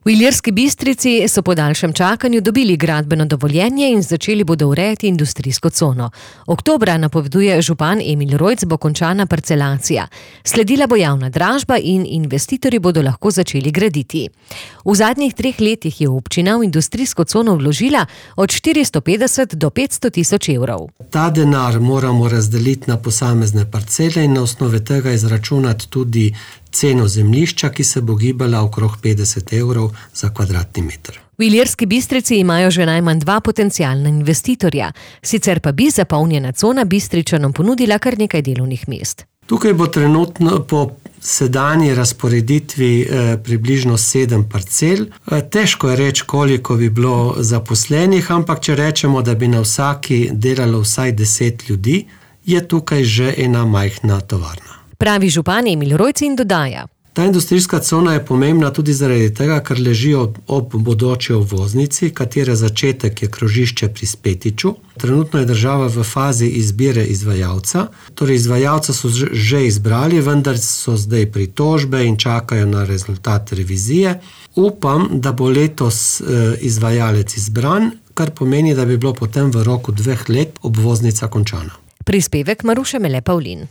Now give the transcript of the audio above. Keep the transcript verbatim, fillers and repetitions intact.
V Ilirski Bistrici so po daljšem čakanju dobili gradbeno dovoljenje in začeli bodo urejati industrijsko cono. Oktobra, napoveduje župan Emil Rojc, bo končana parcelacija. Sledila bo javna dražba in investitorji bodo lahko začeli graditi. V zadnjih treh letih je občina v industrijsko cono vložila od štiristo petdeset do petsto tisoč evrov. Ta denar moramo razdeliti na posamezne parcele in na osnovi tega izračunati tudi ceno zemljišča, ki se bo gibala okrog petdeset evrov za kvadratni meter. V Ilirski Bistrici imajo že najmanj dva potencialna investitorja, sicer pa bi zapolnjena cona Bistričanom ponudila kar nekaj delovnih mest. Tukaj bo trenutno po sedanji razporeditvi eh, približno sedem parcel. Eh, težko je reči, koliko bi bilo zaposlenih, ampak če rečemo, da bi na vsaki delalo vsaj deset ljudi, je tukaj že ena majhna tovarna. Pravi župan Emil Rojc in dodaja. Ta industrijska cona je pomembna tudi zaradi tega, ker leži ob, ob bodoči obvoznici, katere začetek je krožišče pri Spetiču. Trenutno je država v fazi izbire izvajalca, torej izvajalca so že izbrali, vendar so zdaj pritožbe in čakajo na rezultat revizije. Upam, da bo letos eh, izvajalec izbran, kar pomeni, da bi bilo potem v roku dveh let obvoznica končana. Prispevek Maruše Mele Pavlin.